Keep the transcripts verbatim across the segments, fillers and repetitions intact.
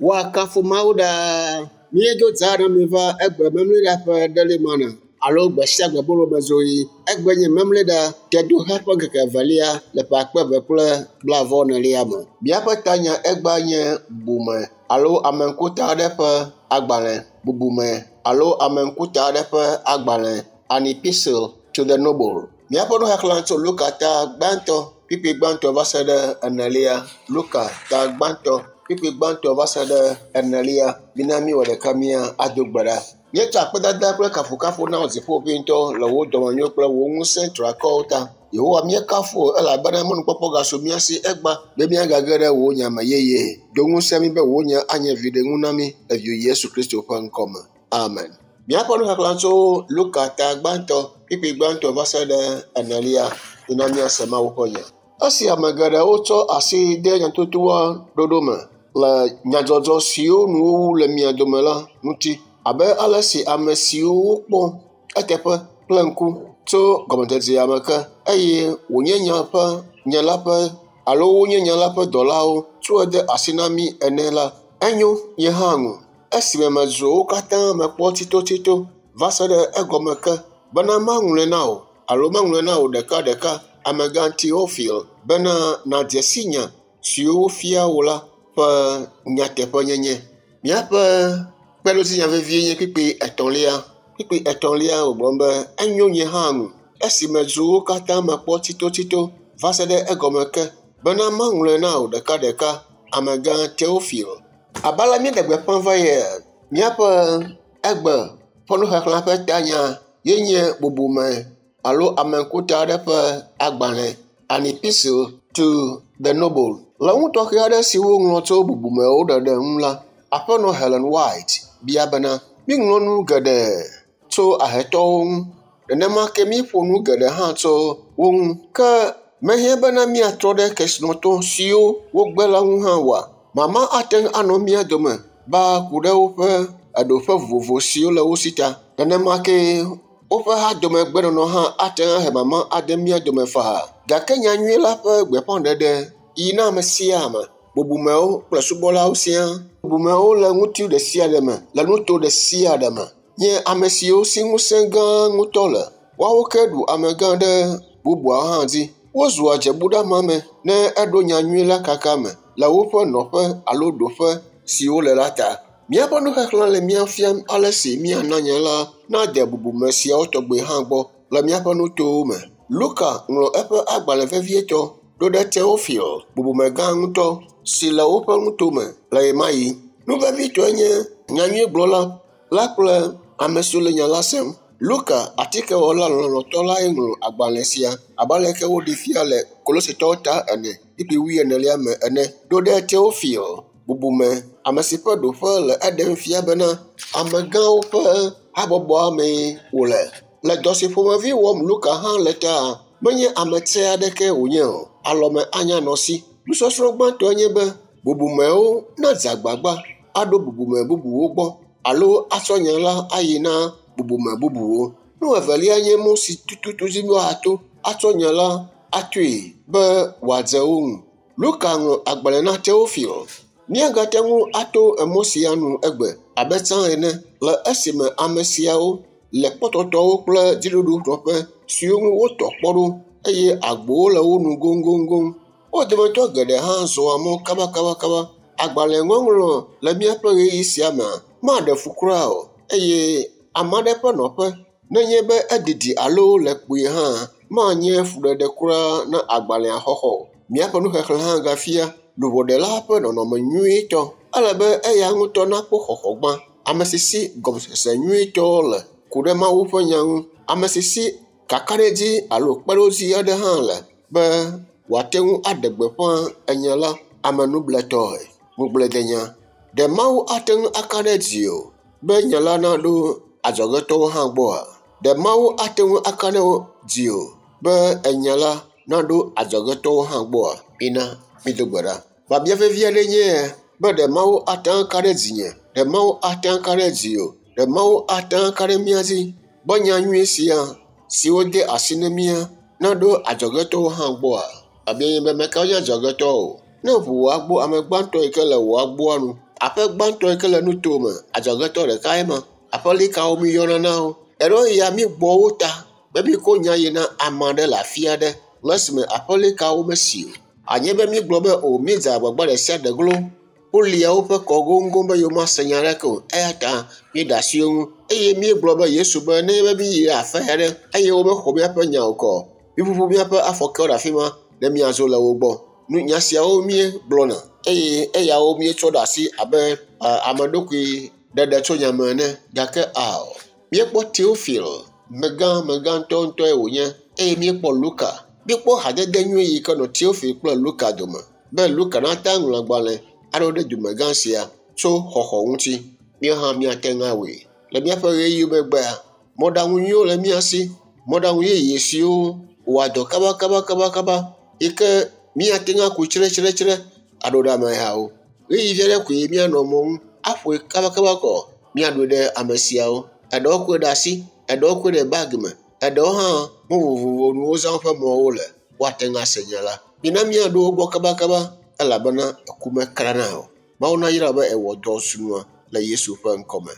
Woakafu Mawu ɖaa. Míedo dza na mi va egbe memleɖa ƒe ɖelimana alo gbe sia gbe bolomezɔɣi. Egbe nye memleɖa tedoxe ƒe ŋkeke evelia le ƒe akpe eve kple blaeve-vɔ-enelia me. Míaƒe tanya egbea nye bubume alo ameŋkuta aɖe ƒe agbalẽ. Bubume alo ameŋkuta aɖe ƒe agbalẽ. An epistle to the noble. Míaƒe nuxexlẽ tso Luka ta gbãtɔ kpukpui gbãtɔ va se ɖe enelia. Luka ta gbãtɔ kpukpui gbãtɔ va se ɖe enelia. Mina míwɔ ɖeka mía ado gbe ɖa. Míetsɔ akpedada kple kafukafu na wò dziƒoʋĩtɔ le wò dɔmenyo kple wò ŋusẽ triakɔwo ta. Yehowa míekafu wò elabena mɔnukpɔkpɔ gasu mía si egba be míagage ɖe wò nya me yeye. Do ŋusẽ mí be wò nya anye viɖenu na mí le viwò Yesu Kristo ƒe ŋkɔ me. Amen. Míaƒe nuxexlẽ tso Luka ta gbãtɔ kpukpui gbãtɔ va se ɖe enelia. Mina míase Mawu ƒe nya. Esi ame geɖewo tsɔ asi de nyatotoa ɖoɖo me le nyadzɔdzɔ siwo nu wowu le mia dome la ŋuti abe ale si ame siwo wokpɔ eteƒe kple ŋku tso gɔmedzedzea me ke eye wònye nya ƒe nya la ƒe alo wonye nya la ƒe dɔlawo tsɔe de asi na mí ene la, enyo nye hã ŋu. Esime medzro wo katã mekpɔ tsitotsito va se ɖe egɔme ke bena maŋlɔe na wò alo maŋlɔe na wò ɖekaɖeka, amegã Teofil, bena nàdze si nya siwo wofia wò la ƒe nyateƒenyenye. Míaƒe kpeɖodzinya vevie nye kpukpui etɔ̃lia. Kpukpui etɔ̃lia wògblɔ be enyo nye hã ŋu esi medzro wo katã mekpɔ tsitotsito va se ɖe egɔme ke bena maŋlɔe na wò ɖekaɖeka, amegã Teofil. Abe ale míeɖe gbeƒã va yia, míaƒe egbe ƒe nuxexlẽ ƒe tanya ye nye bubume alo ameŋkuta aɖe ƒe agbalẽ, An epistle to the noble. Le nu tɔxɛ aɖe si woŋlɔ tso bubumewo ɖeɖe ŋu la, aƒenɔ Helen White bia bena, míŋlɔ nu geɖe tso ahetɔwo ŋu, nenema ke míeƒo nu geɖe hã tso wo ŋu. Ke mehiã bena míatrɔ ɖe kesinɔtɔ siwo wogbe la ŋu hã oa? Mama ate ŋu anɔ mía dome ba ku ɖe woƒe eɖoƒe vovovo siwo le wo si ta. Nenema ke woƒe hadomegbenɔnɔ hã ate ŋu ahe mama ade mía dome faa. Gake nyanyui la ƒe gbeƒãɖeɖe yi na ame sia ame, bubumewo kple subɔlawo siaa. Bubumewo le ŋuti ɖe sia ɖe me, le nuto ɖe sia ɖe me. Nye ame siwo si ŋusẽ gã ŋutɔ le. Woawo ke ɖu amegã ɖe bubuawo hã dzi. Wozua dzebuɖeamame ne eɖo nyanyui la kaka me le woƒe nɔƒe alo ɖoƒe si wole la ta. Míaƒe nuxexlẽ le mía fiam ale si míana nya la nade bubume siawo tɔgbe hã gbɔ le míaƒe nutowo me. Luka ŋlɔ eƒe agbalẽ vevietɔ ɖo ɖe Teofil, bubumegã ŋutɔ si le woƒe nutome le ɣemaɣi. Nu vevitɔe nye nyanyuigblɔla la kple ame siwo le nya la sem. Luka, atikewɔla lɔlɔ̃tɔ lae ŋlɔ agbalẽ sia abe aleke woɖee fia le Kolosetɔwo ta ene kpukpui wuienelia me ene ɖo ɖe Teofil, bubume, ame si ƒe ɖoƒe le eɖem fia bena amegãwo ƒe habɔbɔa mee wòle. Le dɔ si ƒomevi wɔm Luka hã le ta, menye ame tsɛ aɖeke wònye o. Alɔme anya nɔ esi. Nusɔsrɔ̃ gbãtɔe nye be bubumewo nadze agbagba aɖo bubume bubuwo gbɔ alo atsɔ nya la ayi na bubume bubuwo. Nu evelia nye mɔ si tututu dzi woato atsɔ nya la atoe be wòadze wo ŋu. Luka ŋlɔ agbalẽ na Teofil. Míagate ŋu ato emɔ sia nu egbe abe tsã ene le esime ame siawo le kpɔtɔtɔwo kple dziɖuɖunɔƒe siwo ŋu wotɔ kpɔ ɖo eye agbowo le wo nu goŋgoŋgoŋ. Wo dometɔ geɖe hã zɔa mɔ kabakabakaba. Agbalẽŋɔŋlɔ le míaƒe ɣeyiɣi sia mea maɖe fu kura o eye ame aɖe ƒe nɔƒe nenye be edidi alo le kpuie hã manye fuɖeɖe kura na agbalẽa xɔxɔ o. Míaƒe nuxexlẽ hã gafia luʋɔɖela ƒe nɔnɔme nyuitɔ. Ele be eya ŋutɔ nakpɔ xɔxɔ gbã. Ame si si gɔmesese nyuitɔ le ku ɖe Mawu ƒe nya ŋu. Ame si si kakaɖedzi alo kpeɖodzi aɖe hã le be wòate ŋu aɖe gbeƒã enya la amenubletɔe. Ŋugbledenya. Ɖe Mawu ate ŋu aka ɖe dziwò be nya la naɖo adzɔgetɔwo hã gbɔa? Ɖe Mawu ate ŋu aka ɖe dziwò be enya la naɖo adzɔgetɔwo hã gbɔa? Mina mído gbe ɖa. Biabia vevi aɖe nye ya be ɖe Mawu ate ŋu aka ɖe dzinye? Ɖe Mawu ate ŋu aka ɖe dziwò? Ɖe Mawu ate ŋu aka ɖe mía dzi be nya nyui sia si wode asi na mía naɖo adzɔgetɔwo hã gbɔa? Biabia nye be mekawo nye adzɔgetɔwo? Ne ʋu wò agbo ame gbãtɔ yi ke le wò agboa nu, Aƒe gbãtɔ yi ke le nuto me, adzɔgetɔ ɖeka ma. Aƒelikawo míyɔna na wo. Eɖewo ya mígbɔ wo ta be míko nya yi na ame aɖe le afi aɖe le esime aƒelikawo mesi o. Anye be mígblɔ be o míedze agbagba ɖe sia ɖe glo. Wolia woƒe kɔ goŋgoŋ be yewomase nya aɖeke o eya ta míeɖe asi wo ŋu eye míegblɔ be Yesu be ne be míyi ɖe afi aɖe eye womexɔ míaƒe nya o kɔ, míƒuƒu míaƒe afɔkewo ɖe afi ma ne míadzo le wo gbɔ. Nu nya siawo míegblɔna eye eyawo míetsɔ ɖe asi abe ame ɖokui ɖeɖe tso nyame ene gake ao. Míekpɔ Teofil, megã megã ŋutɔŋutɔe wònye eye míekpɔ Luka. Míekpɔ hadede nyui yi ke nɔ Teofil kple Luka dome be Luka nate ŋu aŋlɔ agbalẽ aɖo ɖe dumegã sia tso xɔxɔ ŋuti. Míawo hã míate ŋu awɔe. Le míaƒe ɣeyiɣi megbea, mɔɖaŋu nyuiwo le mía si. Mɔɖaŋu yeye siwo wɔa dɔ kabakabakabakaba yi ke míate ŋu aku tsretsretsre aɖo ɖe amehawo. Ɣeyiɣi vi aɖe koe míanɔ mɔ ŋu aƒoe kabakaba kɔ míaɖoe ɖe ame siawo. Eɖewo koe ɖe asi, eɖewo koe ɖe bagi me, eɖewo hã mɔ vovovo nu wozã woƒe mɔwo le. Woate ŋu ase nya la. Mina míaɖo wo gbɔ kabakaba elabena eku mekrana o. Mawu nayra wò be èwɔ dɔ srɔ̃a le Yesu ƒe ŋkɔme.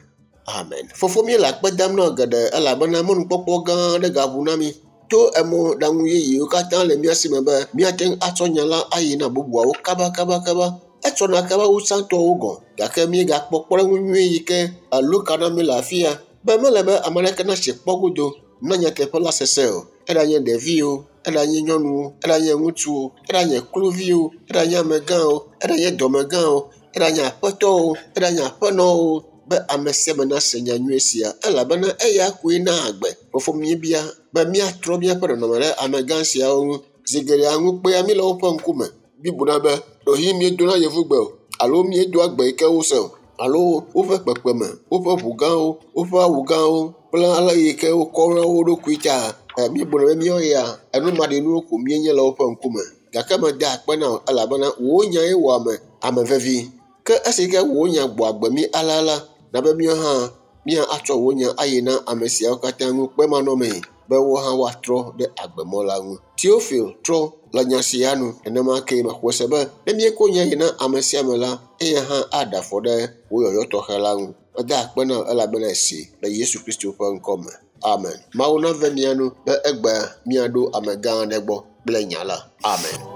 Amen. Fofo míele akpe dam na wò geɖe elabena mɔnukpɔkpɔ gã aɖe gaʋu na mí to emɔɖaŋu yeyewo katã le mía si me be míate ŋu atsɔ nya la ayi na bubuawo kabakabakaba. Etsɔna kaba wu tsãtɔwo gɔ̃ gake míegakpɔ kpɔɖeŋu nyui yi ke Luka na mí le afi ya be mele be ame aɖeke natsi kpɔ godo na nyateƒe la sese o. Eɖanye ɖeviwo, eɖanye nyɔnuwo, eɖanye ŋutsuwo, eɖanye kluviwo, eɖanye amegãwo, eɖanye dɔmegãwo, eɖanye aƒetɔwo, eɖanye aƒenɔwo be ame sia ame nase nya nyui sia elabena eya koe naa agbe. Fofo míebia be míatrɔ míaƒe nɔnɔme ɖe amegã siawo ŋu. Zi geɖea ŋukpea mí le woƒe ŋkume. Míebuna be ɖewohĩ míedona yevugbe o alo míedoa gbe yi ke wose o alo woƒe kpekpeme, woƒe ʋu gãwo, woƒe awu gãwo kple ale yi ke wokɔna wo ɖokui ta míebuna be míawo ya enumaɖinuwo ko míenye le woƒe ŋkume. Gake meda akpe na wò elabena wò nyae wɔ ame ame vevi. Ke esi ke wò nya gbɔ agbe mí alea la, na be míawo hã míatsɔ wò nya ayi na ame siawo katã ŋukpemanɔmee be wo hã woatrɔ ɖe agbemɔ la ŋu. Teofil trɔ le nya sia nu. Nenema kee mexɔe se be ne míeko nya yi na ame sia ame la, eya hã aɖe afɔ ɖe wò yɔyɔ tɔxɛ la ŋu. Meda akpe na wò elabena esi le Yesu Kristo ƒe ŋkɔ me. Amen. Mawu nave mia nu be egbea míaɖo amegã aɖe gbɔ kple nya la. Amen.